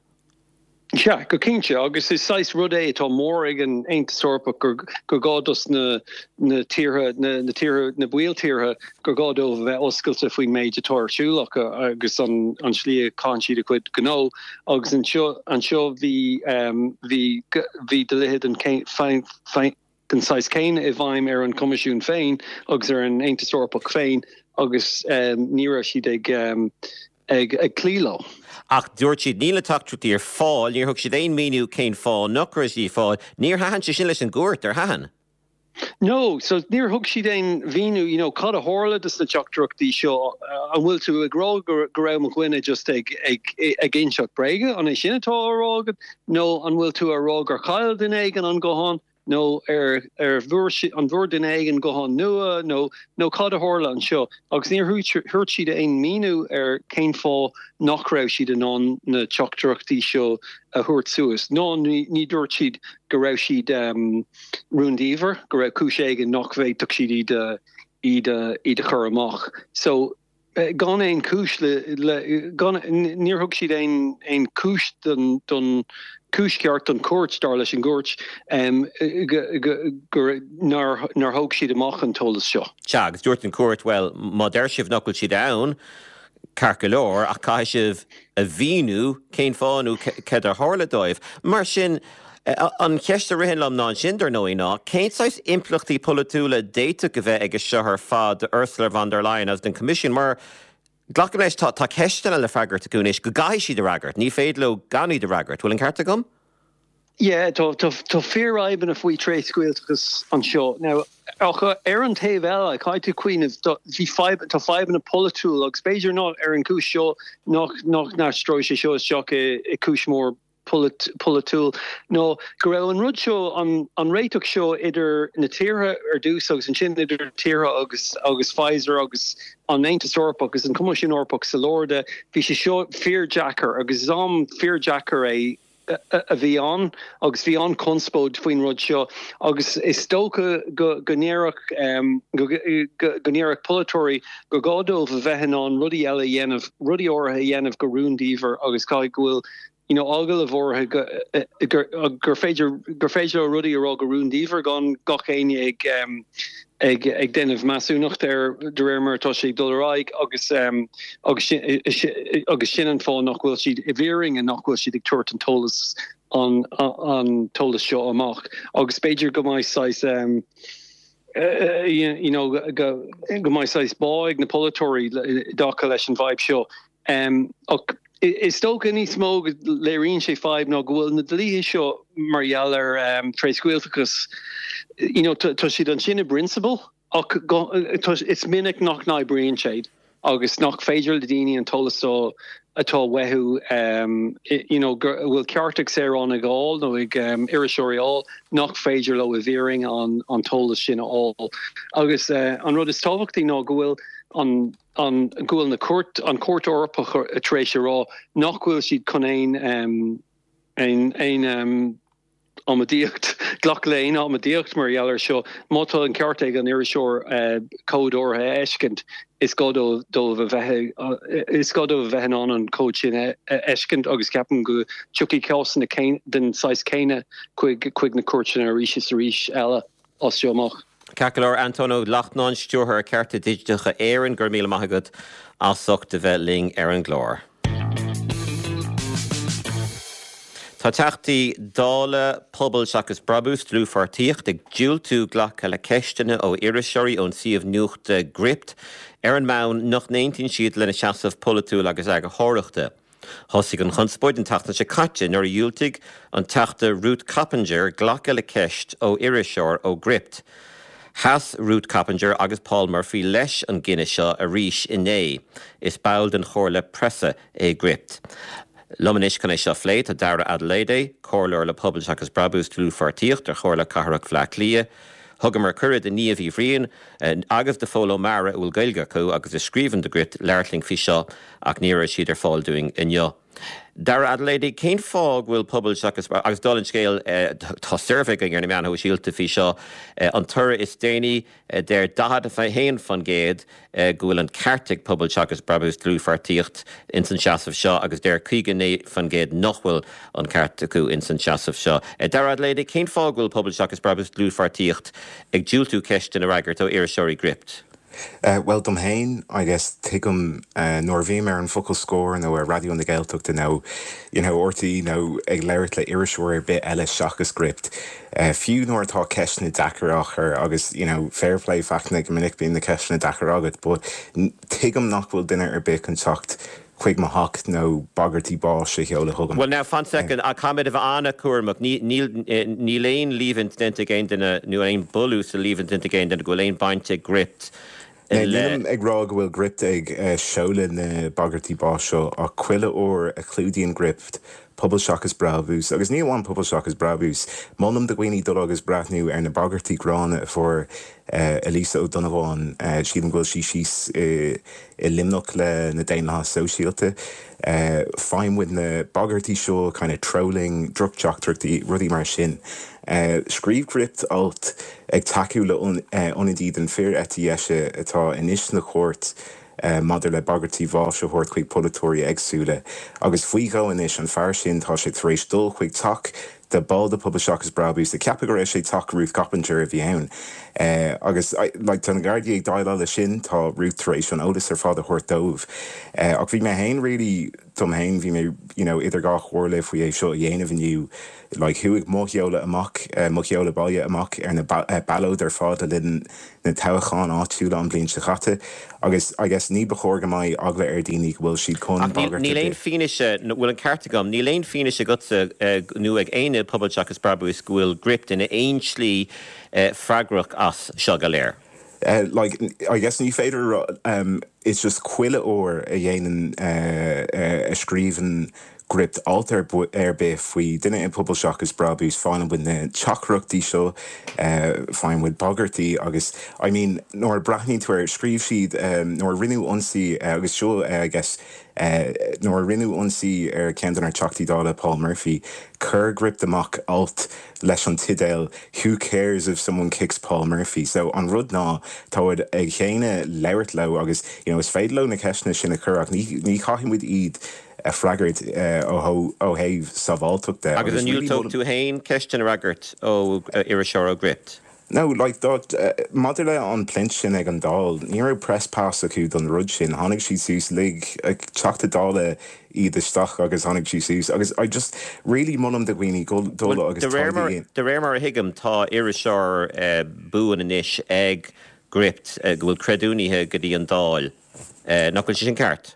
Sea, go cinnte, agus is saghas rud é atá mór ag an Aontas Eorpach gur gur gá dos na na tíortha, na na tíortha, na baill-tíortha, gur gá dóibh a bheith oscailte faoin méid atá ar siúl acu agus an an slí a chaitheann siad a gcuid gnó agus anseo anseo bhí bhí bhí dlíthe den den saghas céanna i bhfeidhm ar an Choimisiún féin agus ar an Aontas Eorpach féin agus ní raibh siad ag ag cloí leo. Ach dúirt siad níl na teachtaireachtaí ar fáil, níor thug siad aon mhíniú cén fáth nach raibh siad ar fáil. Níor thaitin sé sin leis an gcúirt, ar thaitin? No, so níor thug siad aon mhíniú, you know, cad a tharla dos na teachtaireachtaí seo, an bhfuil tú ag rá go go raibh mo dhuine just ag ag ag inseacht bréige, an é sin atá á rá agat, nó an bhfuil tú á rá gur chaill duine éigin an guthán? nó ar ar bhfuair an bhfuair duine éigin guthán nua nó nó cad a tharla anseo agus níor thuirt siad aon míniú ar cén fáth nach raibh siad in ann na teachtaireachtaí seo a thabhairt suas ná ní dúirt siad go raibh siad rúndiamhair, go raibh cúis éigin nach bhféadfadh siad iad a iad a iad a chur amach. So gan aon chúis le le gan níor thug siad aon aon chúis don don cúis cheart don chúirt dar leis an gcúirt go go go nár nár thóg siad amach an t-eolas seo. Sea, agus dúirt an chúirt, bhuel, má deir sibh nach bhfuil siad ann, ceart go leor, ach caithfidh sibh a mhíniú cén fáth nó céard a tharla dóibh. Mar sin, an cheist a ritheann liom ná ansin, dar ndóigh, ná cén saghas impleachtaí polaitiúla a d'fhéadfadh a bheith aige seo ar fad do Ursula von der Leyen agus don Choimisiún? Mar, glacaim leis, tá ceisteanna le freagairt acu anois go gcaithfidh siad a fhreagairt. Ní féidir leo gan iad a fhreagairt. Bhfuil an ceart agam? Yeah, tá tá fíorfhadhbanna faoi tréscaoilteachas anseo. Now, ach ar an taobh eile, caithfidh tú cuimhneamh, bhí fadhb, tá fadhbanna polaitiúil agus b'fhéidir not ar an gcúis seo nach nach n-aistreoidh sé seo isteach i i cúis mhór polaitiúil, ná go raibh an rud seo, an an réiteach seo idir na tíortha ar dtús agus ansin idir tíortha agus agus Pfizer agus an Aontas Eorpach agus an Coimisiún Eorpach sa lár de, bhí sé seo fíordheacair agus is am fíordheacair é a bhí ann agus bhí an-chonspóid faoin rud seo agus is dócha go ndéarfadh go ndéarfadh polaiteoirí gur gá dóibh a bheith in ann rudaí eile a dhéanamh, rudaí áirithe a dhéanamh go rúndiamhair agus caithfidh go bhfuil you know agallamh áirithe go gur féidir gur féidir leo rudaí a rá go rúndiamhair gan gach éinne ag ag ag déanamh measúnacht air de réir mar atá sé ag dul ar aghaidh agus agus agus sin an fáth nach bhfuil siad i bhfírinne nach bhfuil siad ag tabhairt an t-eolas an an t-eolas seo amach agus b'fhéidir go mbeidh saghas you know go go mbeidh saghas bá ag na polaiteoirí i dtaca leis an bhfadhb seo. Ach is dócha níos mó go léiríonn sé fadhb ná go bhfuil na dlíthe seo mar gheall ar tréscaoilteachas, you know, tá siad ansin i bprionsabal ach is minic nach n-oibríonn siad agus nach féidir le daoine an t-eolas seo atá uathu, you know, go bhfuil ceart ag saoránaigh a fháil nó ag iriseoirí a fháil, nach féidir leo i bhfírinne an t-eolas sin a fháil. Agus an rud is tábhachtaí ná go bhfuil an. an go bhfuil na cúirt, an Chúirt Eorpach tar éis a rá nach bhfuil siad chun aon aon aon amaidíocht, glacadh le aon amaidíocht mar gheall air seo. Má tá an ceart ag an iriseoir comhad áirithe a fheiscint, is gá dóibh a bheith is gá dóibh a bheith in ann an comhad sin a fheiscint agus ceapaim go dtiocfaidh cásanna den saghas céanna chuig chuig na cúirteanna arís is arís eile. as seo amach. Ceart go leor, Antóin Ó Lachtnáin, Stiúrthóir Cearta Digiteacha Éireann, go raibh míle maith agat as ucht a bheith linn ar an gclár. Tá Teachtaí Dála, Pobal Seachas Brabús, Dlúthpháirtíocht, ag diúltú glacadh le ceisteanna ó iriseoirí ón suíomh nuachta Gript ar an mbonn nach n-aontaíonn siad lena seasamh polaitiúil agus eagarthóireachta. Thosaigh an chonspóid an tseachtain seo caite nuair a dhiúltaigh an Teachta Ruth Coppinger glacadh le ceist ó iriseoir ó Gript. Sheas Ruth Coppinger agus Paul Murphy leis an gcinneadh seo arís inné. Is ball den Chomhairle Preasa é Gript. Liom anois chun é seo a phlé tá Dara Adeleye, Comhairleoir le Pobal Seachas Brabús Dlúthpháirtíocht ar Chomhairle Cathrach Bhaile Átha Cliath. Thugamar cuireadh do Niamh Uí Bhriain agus do Phól Ó Meára, a bhfuil Gaeilge acu agus a scríobhann do Gript, labhairt linn faoi seo ach ní raibh siad ar fáil dúinn inniu. Dara Adeleye, cén fáth go bhfuil Pobal Seachas, agus dála an scéil, tá suirbhé againn ar na meáin shóisialta faoi seo, an toradh is déanaí, deir 41% go bhfuil an ceart ag Pobal Seachas Brabús Dlúthpháirtíocht ins an seasamh seo agus deir 59% nach bhfuil an ceart acu ins an seasamh seo. Dara Adeleye, cén fáth go bhfuil Pobal Seachas Brabús Dlúthpháirtíocht ag diúltú ceisteanna a fhreagairt ó iriseoirí Gript? Bhuel, dom fhéin, I guess, tuigim nuair a bhím ar an bhfocal scór nó ar Raidió na Gaeltachta nó, you know, RTÉ nó ag labhairt le iriseoir ar bith eile seachas Gript, fiú nuair atá ceisteanna deacair á chur agus, you know, fair play Fachtna, go minic bíonn na ceisteanna deacair agat, but tuigim nach bhfuil duine ar bith chun teacht chuig mo theach nó bagairtí báis a sheoladh chugam. Well now, fan soicind, caithfimid a bheith an-chúramach. Níl, níl aon líomhaint déanta ag aon duine, nó aon bhunús le líomhaint déanta ag aon duine go bhfuil aon baint ag Gript le. Nílim ag rá go bhfuil Gript ag seoladh na bagairtí báis seo, ach chuile uair a chlúdaíonn Gript. Pobal Seachas Brabús, agus ní amháin Pobal Seachas Brabús, molaim do dhaoine dul agus breathnú ar na bagairtí gránna a fuair Elisa Ó Donnabháin, sílim go bhfuil sí síos i Luimneach le na Daonlathaithe Sóisialta. Faigheann muid na bagairtí seo, kind of trolling, droch-teachtaireachtaí, rudaí mar sin. Scríobh Gript alt ag tacú le ionadaí den fíor-eite dheise atá anois sna chúirt maidir le bagairtí bháis a thabhairt chuig polaiteoirí éagsúla. Agus faoi dhó anois, an fear sin, tá sé tar éis dul chuig teach de ball de Pobal Seachas Brabús, ag ceapadh go raibh sé teach Ruth Coppinger a bhí ann. Agus like tá na Gardaí ag déileáil leis sin, tá Ruth tar éis an eolas ar fad a thabhairt dóibh. Ach bhí mé fhéin really, dom fhéin, bhí mé you know idir dhá chomhairle faoi é seo a dhéanamh inniu. Like chuaigh mo sheoladh amach, mo sheoladh baile amach ar na ballóid ar fad le linn na toghcháin áitiúla an bhliain seo chaite agus I guess ní ba chóir go mbeidh eagla ar daoine go bhfuil siad chun Ach bagairt níl aon fianaise, bhfuil an ceart agam, níl aon fianaise agatsa nó ag éinne i Pobal Seachas Brabús go bhfuil Gript in aon slí freagrach as seo go léir? Like, I guess ní féidir a rá, it's just chuile uair a dhéanann, a scríobhann Gript alt ar bith faoi duine i Pobal Seachas Brabús, faigheann muid na teachtaireachtaí seo, faigheann muid bagairtí agus I mean nuair a breathnaíonn tú air, scríobh siad nuair a rinneadh ionsaí agus seo I guess nuair a rinneadh ionsaí ar ceann de ár Teachtaí Dála Paul Murphy, chuir Gript amach alt leis an teideal Who cares if someone kicks Paul Murphy? So an rud ná tá muid ag céanna labhairt leo agus you know is féidir leo na ceisteanna sin a chur ach ní ní chaithfidh muid iad a freagairt ó thaobh sábháilteachta Agus an ndiúltódh tú féin ceisteanna a fhreagairt ó iriseoir ó Gript? No, like, dá, maidir le an pluint sin ag an Dáil, ní raibh press pass acu don rud sin. Tháinig siad suas, lig Teachta Dála iad isteach agus tháinig siad suas agus I just really molaim do dhaoine dul Bhuel, agus de réir taighde mar, a dhéanamh. de réir mar a thuigim, tá iriseoir buan anois ag Gript go bhfuil creidiúnaithe go dtí an Dáil. Nach bhfuil sé sin ceart?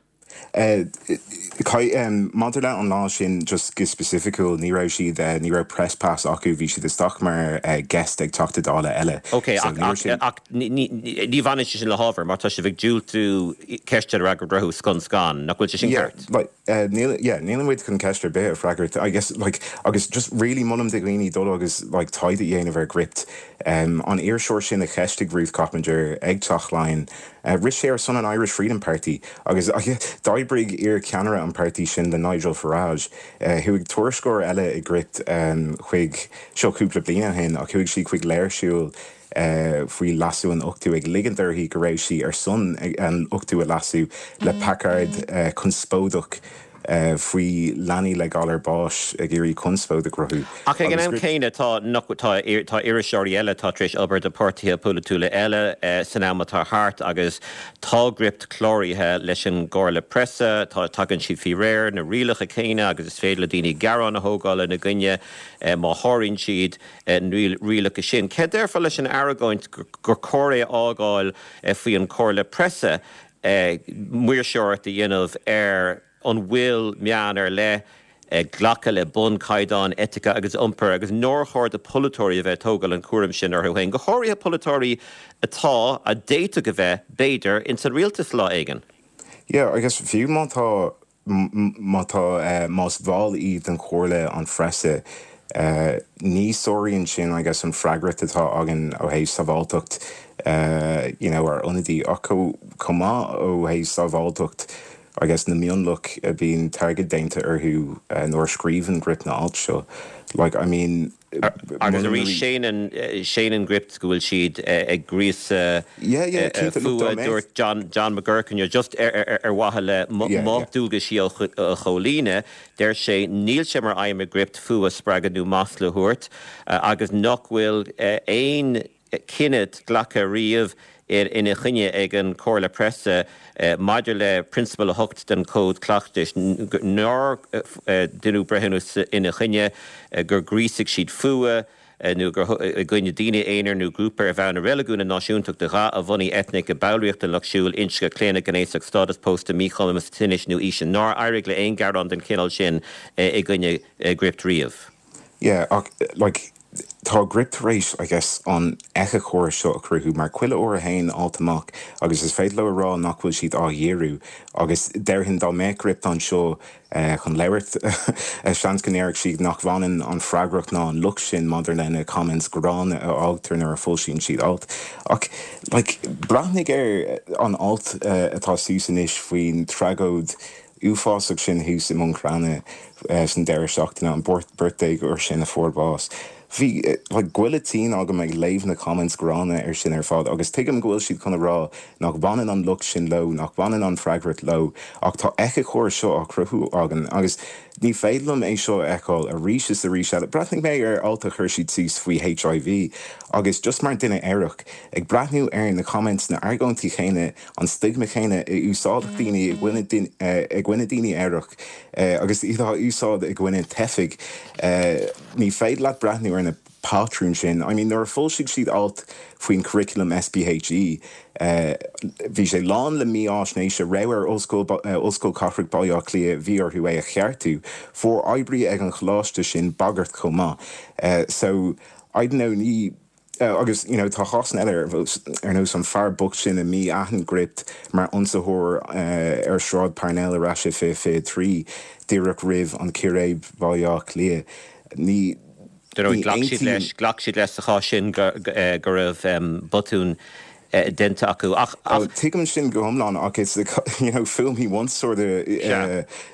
Maidir le an lá sin, just go specificiúil, ní raibh siad, ní raibh press pass acu, bhí siad isteach mar guest ag Teachta Dála eile. Ok, ach, ach, ach ní, ní bhaineann sé sin le hábhar, mar tá sibh ag diúltú ceisteanna a fhreagairt orthu scun scan, nach bhfuil sé sin Yeah, ceart? like, níl, yeah, níl muid chun ceist ar bith a freagairt, I guess, like, agus just really molaim do dhaoine dul agus, like, taighde a dhéanamh ar Gript. An iriseoir sin a cheistigh Ruth Coppinger ag Teach Laighean, Rith sé ar son an Irish Freedom Party agus d'oibrigh iar-cheannaire an páirtí sin le Nigel Farage. Chuaigh tuairisceoir eile i Gript chuig, seo cúpla bliain ó shin, ach chuaigh sí chuig léirshiúl faoi leasú an ochtú ag ligint uirthi go raibh sí ar son an ochtú a leasú le placard conspóideach faoi leanaí le galar báis ag iarraidh conspóid a chruthú. Ach ag an am céanna tá tá tá iriseoirí eile atá tar éis obair do páirtithe polaitiúla eile san am atá thart agus tá Gript cláraithe leis an gComhairle Preasa, tá tagann siad faoi réir na rialacha céanna agus is féidir le daoine gearán a thógáil ina gcoinne má sháraíonn siad na rialacha sin. Céard déarfá leis an argóint gur cóir é a fhágáil faoi an Chomhairle Preasa maoirseoireacht a dhéanamh ar an bhfuil meáin ar leith ag glacadh le bunchaighdeáin eitice agus iompair agus nár chóir do pholaiteoirí a bheith ag tógáil an chúraim sin orthu féin, go háirithe polaiteoirí atá, a d'fhéadfadh a bheith, b'fhéidir, ins an rialtas lá éigin. Yeah, I guess fiú má tá Má tá, más bhall iad den Chomhairle an Phreasa, ní sáraíonn sin, I guess, an freagracht atá againn ó thaobh sábháilteacht you know ár n-ionadaí ach chomh maith ó thaobh sábháilteacht, I guess, na mionlach a bíonn target déanta orthu nuair a scríobhann Gript na ailt seo. Like, I mean. Agus arís, séanann Gript go bhfuil siad ag gríosadh fuatha, dúirt John McGuirk inniu, just ar mhaithe le mo dualgaisí a chomhlíonadh, deir sé, níl sé mar aidhm ag Gript fuath a spreagadh nó masla a thabhairt agus nach bhfuil aon cinneadh glactha riamh ina choinne ag an Chomhairle Preasa maidir le Prionsabal 8 den Chód Cleachtais, nár deineadh breithiúnas ina choinne gur ghríosaigh siad fuath nó gur i gcoinne daoine aonair nó grúpa ar bhonn a reiligiúin, a náisiúntachta, a dhath, a bhunaidh eitnigh, a ballraíocht den Lucht Siúil, inscne, claonadh gnéasach, stádas pósta, míchumas, tinnis nó aoise. Nár éirigh le aon ghearán den chineál sin i gcoinne Gript riamh. Yeah, ach like. Tá Gript tar éis, I guess, an éiceachóras seo a chruthú, mar chuile uair a théann alt amach agus is féidir leo a rá nach bhfuil siad á dhíriú agus déarfainn dá mbeadh Gript anseo chun labhairt, seans go ndéarfadh siad nach bhaineann an freagracht ná an locht sin maidir le na comments gránna a fhágtar nuair a foilsíonn siad alt. Ach, like, breathnaigh ar an alt atá suas anois faoin tragóid uafásach sin thuas i mBun Cranncha san deireadh seachtaine, an beirt déagóir sin a fuair bás. Bhí like goile tinn agam ag léamh na comments gránna ar sin ar fad agus tuigim go bhfuil siad chun a rá nach bhaineann an locht sin leo, nach bhaineann an freagracht leo ach tá éiceachóras seo á chruthú againn agus ní féidir liom é seo a fheiceáil arís is arís eile. Breathnaigh mé ar alt a chuir siad suas faoi HIV agus just mar duine aerach ag breathnú ar na comments, na argóintí chéanna, an stigma chéanna a úsáideadh daoine i gcoinne i gcoinne daoine aerach agus iad á úsáid i gcoinne teifigh. Ní féidir leat breathnú ar na patrúin sin. I mean nuair a foilsigh siad alt faoin curriculum SPHE bhí sé lán le mífháisnéis a raibh ar Ollscoil Ollscoil Cathrach Baile Átha Cliath bhí orthu é a cheartú. Fuair oibrí ag an choláiste sin bagairt chomh maith. So I don't know ní Agus you know tá cásanna eile ar nós an fear bocht sin a mhí-aithin Gript mar ionsaitheoir ar Shráid Parnell ar ais i 2023, díreach roimh an círéib Bhaile Átha Cliath. Ní Dar ndóigh, ghlac siad leis, ghlac siad leis sa chás sin go raibh botún déanta acu. Ach, ach. Tuigim sin go hiomlán ach it's you know fool me once sort of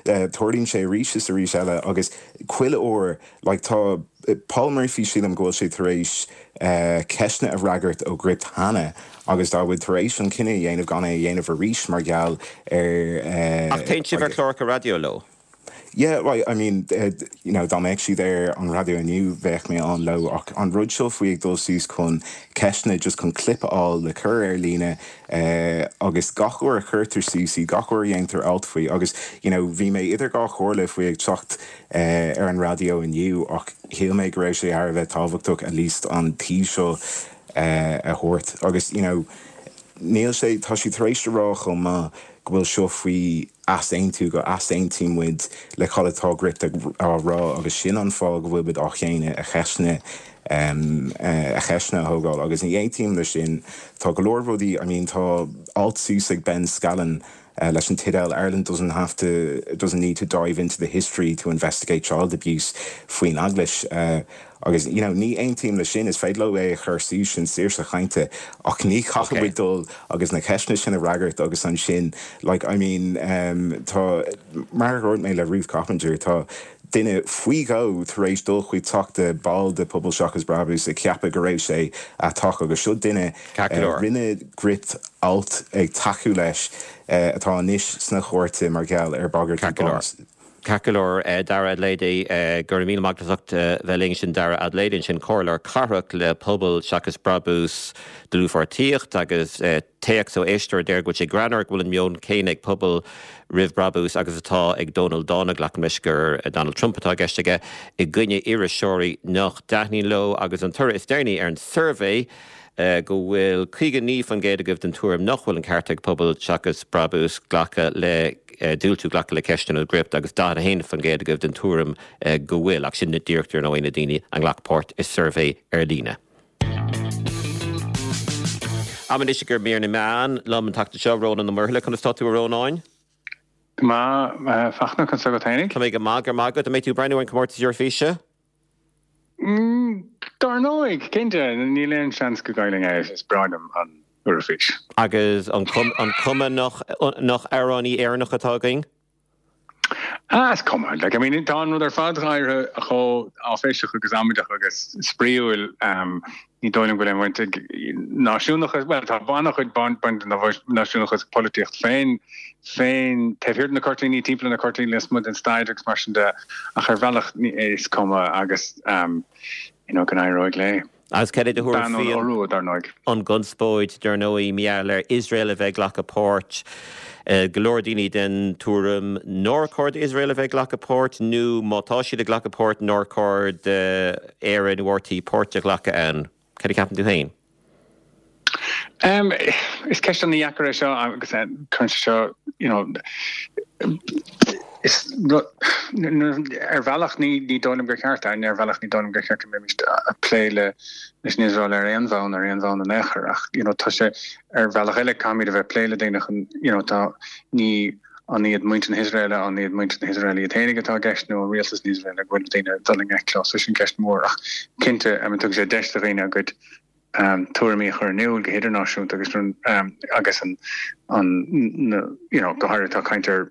tarlaíonn sé arís is arís eile agus chuile uair Like tá Paul Murphy sílim go bhfuil sé tar éis ceisteanna a fhreagairt ó Gript cheana agus tá muid tar éis an cinneadh a dhéanamh gan é a dhéanamh arís mar gheall ar Ach téann sibh ar chláracha raidió leo? Yeah, right, I mean, you know, dá mbeadh siad ar an raidió inniu bheadh mé ann leo ach an rud seo faoi ag dul suas chun ceisteanna just chun clip a fháil le cur ar líne agus gach uair a chuirtear suas í, gach uair a dhéantar alt faoi agus, you know, bhí mé idir dhá chomhairle faoi ag teacht ar an raidió inniu ach shíl mé go raibh sé thar a bheith tábhachtach at least an taobh seo a thabhairt agus you know níl sé, tá siad tar éis a rá chomh maith go bhfuil seo faoi easaontú, go easaontaíonn muid le cad atá Gript á rá agus sin an fáth go bhfuil muid á shéanadh a cheisteanna a cheisteanna a thógáil agus ní aontaím leis sin. Tá go leor rudaí, I mean tá alt suas ag Ben Scallan leis an teideal Ireland doesn't have to, doesn't need to dive into the history to investigate child abuse faoin Eaglais agus you know ní aontaím leis sin, is féidir leo é a chur suas, sin saoirse chainte ach ní chaithfidh muid dul agus na ceisteanna sin a fhreagairt agus ansin like I mean tá, mar a dúirt mé le Ruth Coppinger, tá duine faoi dhó tar éis dul chuig teach de ball de Pobal Seachas Brabús ag ceapadh go raibh sé aiteach agus seo duine rinne Gript alt ag tacú leis atá anois sna cúirteanna mar gheall ar bhagairtí báis. Ceart go leor, Dara Adelaide, go raibh míle maith agat as ucht bheith linn. Sin Dara Adelaide ansin, Comhairleoir Cathrach le Pobal Seachas Brabús, Dlúthpháirtíocht agus Téacs ó éisteoir a deir go bhfuil sé greannmhar go bhfuil an meon céanna ag Pobal Roimh Brabús agus atá ag Dónal Dána, glacaim leis gur Donald Trump atá i gceist aige, i gcoinne iriseoirí nach dtaitníonn leo agus an toradh is deireanaí ar an suirbhé go bhfuil 59% agaibh den tuairim nach bhfuil an ceart ag Pobal Seachas Brabús glacadh le diúltú glacadh le ceisteanna ó Gript agus 41% agaibh den tuairim go bhfuil, ach sin díreach dar ndóigh na daoine a ghlac páirt i suirbhé ar líne. Am anois i gcomhair mír na meán liom an tseachtain seo, Rónán Ó Muirthile. Conas tá tú, a Rónáin? Go maith, a Fachtna, conas tá agat fhéinig? Tá mé go maith, go raibh maith agat. An mbeidh tú ag breathnú ar an comórtas Eoraifíse? Dar ndóigh, cinnte, níl aon seans go gcaillfinn é, is breá liom an Eoraifís. Agus an cuma nach amhránaí Éireannach atá againn? Ah, is cuma. Like, I mean, tá an rud ar fad éirithe chomh áiféiseach agus amaideach agus spraíúil. Ní dóigh liom go bhfuil aon bhaint ag náisiúnachas, bhuel, tá an-chuid baint ag náisiúnachas polaitíocht féin, féin taobh thiar de na cuirtíní, timpeall na cuirtíní, lasmuigh den staid agus mar sin de, ach ar bhealach is cuma agus, you know, go n-éireoidh léi. Agus cad é do thuairim faoi an dar ndóigh. an gconspóid, dar ndóigh, mar gheall ar Iosrael a bheith ag glacadh páirt. Go leor daoine den tuairim nár chóir d'Iosrael a bheith ag glacadh páirt, nó má tá siad ag glacadh páirt, nár chóir d'Éire nó RTÉ páirt a ghlacadh ann. Cad a cheapann tú féin? Is ceist an-dheacair é seo agus cuireann sé seo, you know. Is ar bhealach ní ní dóigh liom gur cheart, ar bhealach ní dóigh liom gur cheart go mbeimis ag plé le leis an Iosrael ar aon bhonn ar aon bhonn in aon chor ach you know tá sé ar bhealach eile caithfimid a bheith ag plé le daoine chun you know tá ní an iad muintir na hIosraeile an iad muintir na hIosraeile iad féinig atá i gceist nó an rialtas na hIosraeile go bhfuil daoine ag dul i ngleic leo so sin ceist mhór ach cinnte I mean tugann sé deis do dhaoine a gcuid tuairimí a chur in iúl go hidirnáisiúnta agus agus an an you know go háirithe tá caint ar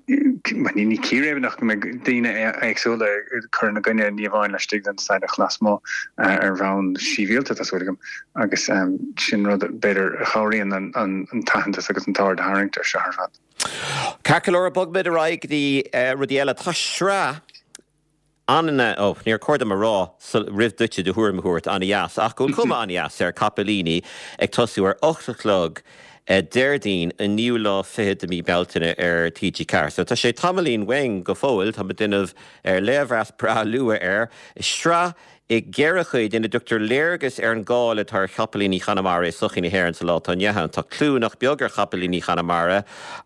ní círéibeanna ach go mbeidh daoine éagsúla ag cur ina gcoinne ní amháin laistigh den staid ach lasmuigh ar bhonn sibhialta tá súil agam agus sin rud b'fhéidir a chabhraíonn an t-aitheantas agus an t-aird a tharraingt ar seo ar fad. Ceart go leor, bogfaimid ar aghaidh go dtí rudaí eile. Tá sraith An, ó, níor chóir dom a rá roimh duitse do thuairim a thabhairt, an-dheas, ach go bhfuil cuma an-dheas air, Capaillíní ag tosú ar 8 a chlog Déardaoin an naoú lá fichead de mí Bealtaine ar TG4. So tá sé tamaillín uainn go fóill, tá muid ag déanamh léirmheas breá luath air. Sraith i gceithre chuid ina dtugtar léargas ar an gcáil atá ar chapaillíní Chonamara i sochaí na hÉireann sa lá atá inniu ann. Tá clú nach beag ar chapaillíní Chonamara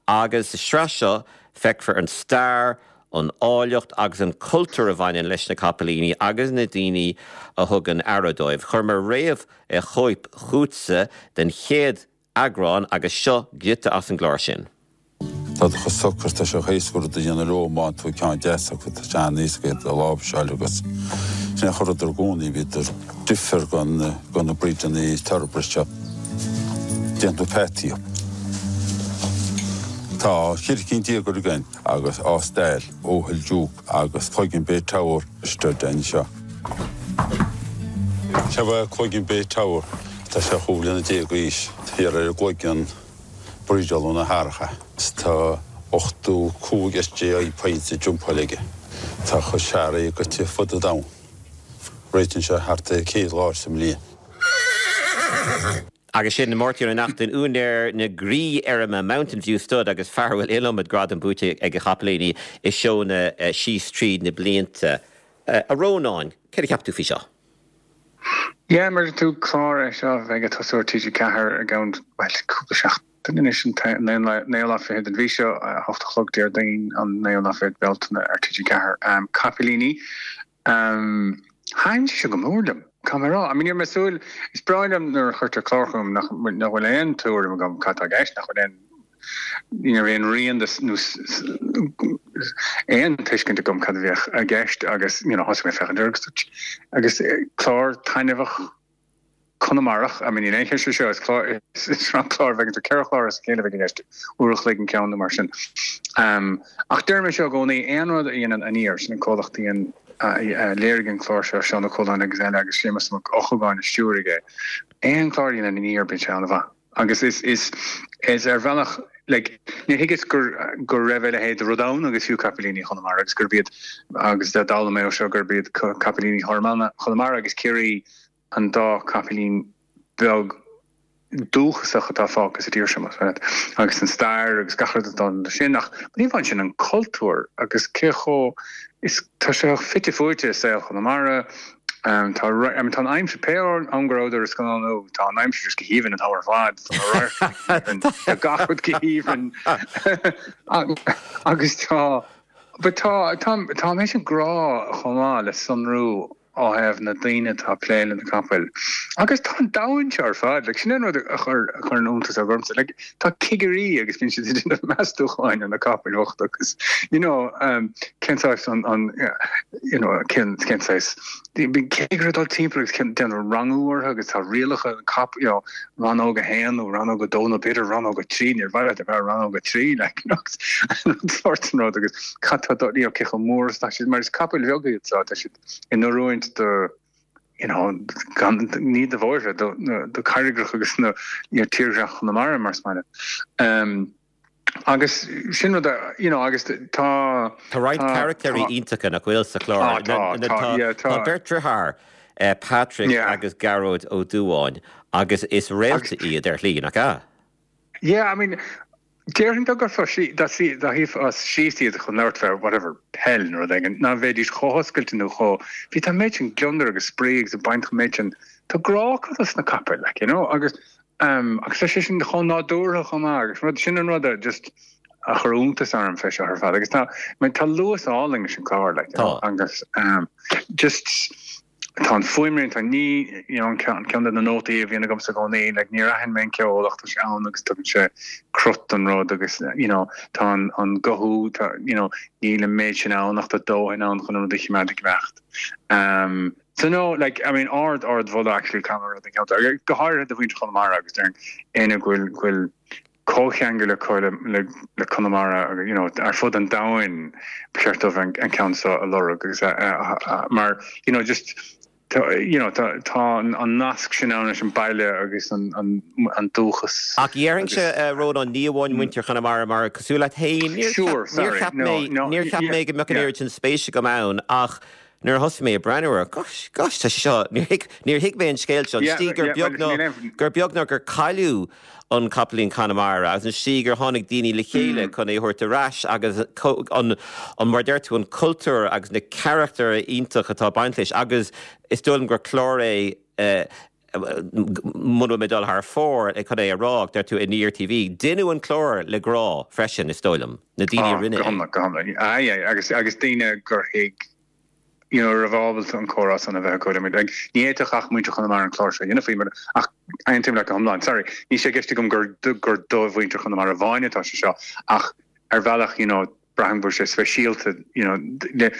agus sa sraith seo feicfear an stair, an áilleacht agus an cultúr a bhaineann leis na capaillíní agus na daoine a thugann aire dóibh. Chuir mé réamhchóip chugatsa den chéad eagrán agus seo giota as an gclár sin. Tá siad chomh socair, tá sé chomh héasca rud a dhéanamh leo má fhaigheann tú ceann deas acu, tá sé an-éasca iad a láimhseáil agus sin é a chuireadar i gcónaí, bhíodar difear go na breedanna thoroughbred seo. Déanann tú peataí. Tá 14 cinn againn. agus Ásdale, Oghill Duke agus Cloigeann Bay Tower stud anseo. Seo é Cloigeann Bay Tower, tá sé 15 bliana d'aois, thiar ar an gCloigeann breedáladh na hathracha. Tá 85 SJI points ag jumpáil aige. Tá a chuid searraigh goite fud an domhain. Réitíonn sé thart ar 100 lá sa mbliain. Agus sin Máirtín Ó Neachtain, úinéir na gCroí-Fheirme Mountain View Stud agus fear a bhfuil iliomad gradam buaite ag a chapaillíní i seónna síos tríd na blianta. A Rónáin, céard a cheap tú faoi seo? Yeah, mar a dúirt tú, clár é seo a bheidh ag tosú ar TG4 i gceann, bhuel, cúpla seachtain anois, an naoú lá fichead den mhí seo, 8 a chlog Déardaoin, an naoú lá fichead Bealtaine ar TG4. Capaillíní. Thaitin sé seo go mór liom, caithfidh mé a rá. I mean, ní raibh mé ag súil, is breá liom nuair a chuirtear clár chugam nach bhfuil aon tuairim agam cad tá i gceist, nach bhfuil aon, ní raibh aon rian de nó aon tuiscint agam cad a bheadh i gceist agus, you know, thosaigh mé ag féachaint air agus agus clár taitneamhach Conamarach, I mean níl aon cheist faoi seo, is clár, is sraith clár a bheidh ann, 4 chlár as a chéile a bheidh i gceist, uair a chloig an ceann nó mar sin. Ach deirim é seo i gcónaí, aon rud a dhéanann Aniar, sin an comhlacht a dhein, a léirigh an clár seo, Seán Ó Cualáin agus eile agus Séamus Mac Eochagáin a stiúraigh é, aon chlár a dhéanann Aniar bíonn sé an-mhaith. Agus is, is, is ar bhealach, like, níor thuigeas gur, go raibh a leithéid de rud ann agus fiú Capaillíní Chonamara agus gurb iad, agus d'fhoghlaim mé ó seo gurb iad Capaillíní Chonamara agus Ciarraí an dá chapaillín beag dúchasach atá fágtha sa tír seo, más maith leat, agus an stair agus gach rud atá leis sin, ach ní amháin sin, an cultúr agus cé chomh, is, tá sé fite fuaite i saol Chonamara, tá, I mean, tá an aimsir, pé am go rabhadar ag scannánú, tá an aimsir just go haoibhinn an t-am ar fad, tá na radharcanna go haoibhinn, tá gach rud go haoibhinn agus tá, but tá, tá, tá an méid sin grá chomh maith le sonrú ó thaobh na daoine atá ag plé le na capaill. Agus tá an domhan seo ar fad, like, sin an rud a chuir a chuireann iontas ormsa, like, tá cigirí agus bíonn siad ag déanamh meastúcháin ar na capaill bhochta agus, you know, um, cén saghas an, an, you know, cén, cén saghas, bíonn cigire ag dul timpeall agus cén, déanamh rangú orthu agus tá rialacha an cap, you know, rannóg a haon nó rannóg a dó nó b'fhéidir rannóg a trí, níor mhaith leat a bheith rannóg a trí, like, you know, an sórt sin rud agus cad tá, you know, cé chomh mór is atá siad, mar is capaill bheaga iad so, tá siad in oiriúint do, you know, gan, ní do bhóithre, do, do carraigreacha agus na, you know, tírdhreach Chonamara mar is maith leat. Um, agus sin rud a, you know, agus tá. Tá roinnt caractéirí iontacha nach bhfuil sa chlár. Tá, tá, tá, yeah, tá. Tá beirt driotháir, Patrick agus Gearóid Ó Dubháin, agus is réalta iad ar shlí, nach ea? Yeah, I mean, déarfainn dá gcuirfeá, dá shuífeá síos iad chun labhairt fé whatever, peil nó rud éigin, ná bheidís chomh hoscailte nó chomh, bhí, tá an méid sin gliondar agus spraoi agus ag baint an méid sin, tá grá acu dos na capaill, like, you know, agus Agus tá sé sin chomh nádúrtha chomh maith agus rud, sin an rud a just a chuir iontas orm fé seo ar fad agus tá tá luas álainn leis an chlár like, you know, agus um, just tá an fuaimrian tá ní you know, an ceann ceann de na nótaí a bhíonn agamsa i gcónaí like, níor aithin mé an ceol ach tá sé ann agus tugann sé crut don rud agus you know, tá an, an guthú tá, you know, níl an méid sin ann ach tá dóthain ann chun an rud a choimeád ag imeacht. Um, so no, like, I mean, ard ard mholadh actually caithfidh mé a rá don cheantar, go háirithe do mhuintir Chonamara agus déarfainn éinne go bhfuil go bhfuil comhcheangal acu le le Conamara agus you know ar fud an domhain ba cheart dóibh an an ceann seo a lorg agus a a mar you know just tá you know tá tá an an nasc sin ann leis an baile agus an an an dúchas Ach déarfainnse a Rónáin ní amháin muintir Chonamara mar cosúil leat féin níor Sure, cheap níor sorry, cheap no, mé no, níor cheap yeah, mé go mbeadh an yeah. oiread sin spéis agam ann ach Nuair a thosaigh mé ag breathnú air, gosh, gosh, tá sé seo, níor thuig, níor thuig mé an scéal seo, an Yeah, tslí gur yeah, beag well, ná, níl aon- gur beag ná gur cailleadh an Capaillín Conamara agus an tslí gur tháinig daoine le chéile chun é a thabhairt ar ais agus co- an, an, mar a deir tú, an cultúr agus na carachtair iontach atá ag baint leis agus is dóigh liom gur clár é eh, muna bhfuil mé ag dul thar fóir chun é a rá, deir tú Aniar TV, deineadh an clár le grá freisin, is dóigh liom, na daoine a Ah, rinne go é. hiomlán, go hiomlán. Aye, aye, agus, agus daoine gur thuig, you know, a raibh ábalta an comhrá san a bheith acu le muid. Like, ní fhéadfadh ach muintir Chonamara an clár seo a dhéanamh faoi, mar, ach aontaím leat go hiomlán. Sorry, níl sé i gceist agam gur, gur do mhuintir Chonamara amháin atá sé seo, ach ar bhealach, you know, braithim go bhfuil sé speisialta you know le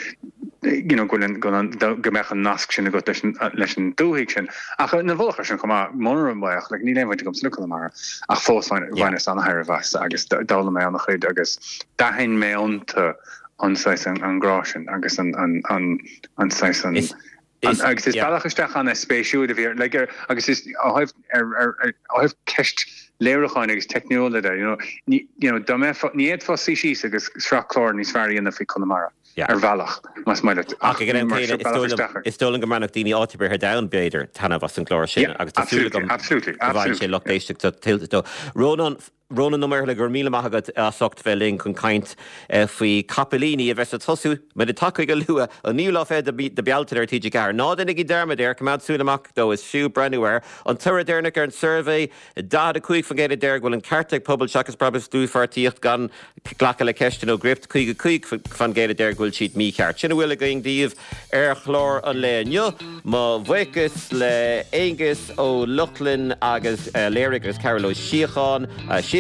you know go bhfuil an go an go mbeadh an nasc sin agat leis an leis an dúthaigh sin. Ach ina mhullach air sin chomh maith, mura mbeadh, like níl aon bhaint agamsa le Conamara ach fós bhain bhaineas an-tairbhe as agus d'fhoghlaim mé an-chuid agus d'aithin mé iontu an saghas an an grá sin agus an an an an saghas an Is Is, Agus is yeah. bealach isteach an-spéisiúil a bhí ar, like, ar, agus is ó thaobh, ar, ar, ar, ó thaobh ceist léiriúcháin agus teicniúla de, you know, ní, you know, dá mbeifeá, ní fhéadfá suí síos agus sraith clár níos fearr a dhéanamh faoi Conamara, Yeah. ar bhealach, más maith leat. Ach ag an am mar céanna, seo is bealach dóigh liom, isteach ar. is dóigh liom go mbainfeadh daoine áit ar bith ar domhan, b'fhéidir, taitneamh as an gclár sin Yeah, agus tá súil absolutely, agam absolutely, go bhfaigheann sé absolutely, lucht yeah. éisteachta tuillte dó. Rónán, Rónán Ó Muirthile, go raibh míle maith agat as ucht bheith linn chun caint faoi Capaillíní a bheas ag tosú, muid ag tacú go luath, an naoú lá fichead de Bealtaine ar TG4. Ná déanaigí dearmad air, coimeád súil amach dó, is fiú breathnú air. An toradh deireanach ar an suirbhé, 45% a deir go bhfuil an ceart ag Pobal Seachas Brabús dlúthpháirtíocht gan glacadh le ceisteanna ó Gript, 55% a deir go bhfuil siad mícheart. Sin a bhfuil againn daoibh ar chlár an lae inniu. Mo bhuíochas le Aengus Ó Lochlainn agus a léirigh agus Cearbhall Ó Síocháin,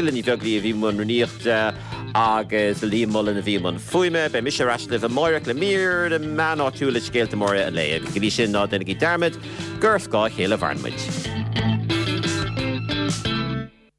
Síle Ní Bheaglaoí a bhí i mbun rúnaíochta agus Liam Mullen a bhí i mbun fuaime. Beidh mise ar ais libh amáireach le mír na meán áitiúil is scéalta móra an lae. Agus go dtí sin ná déanaigí dearmad gur ar scáth a chéile a mhaireann muid.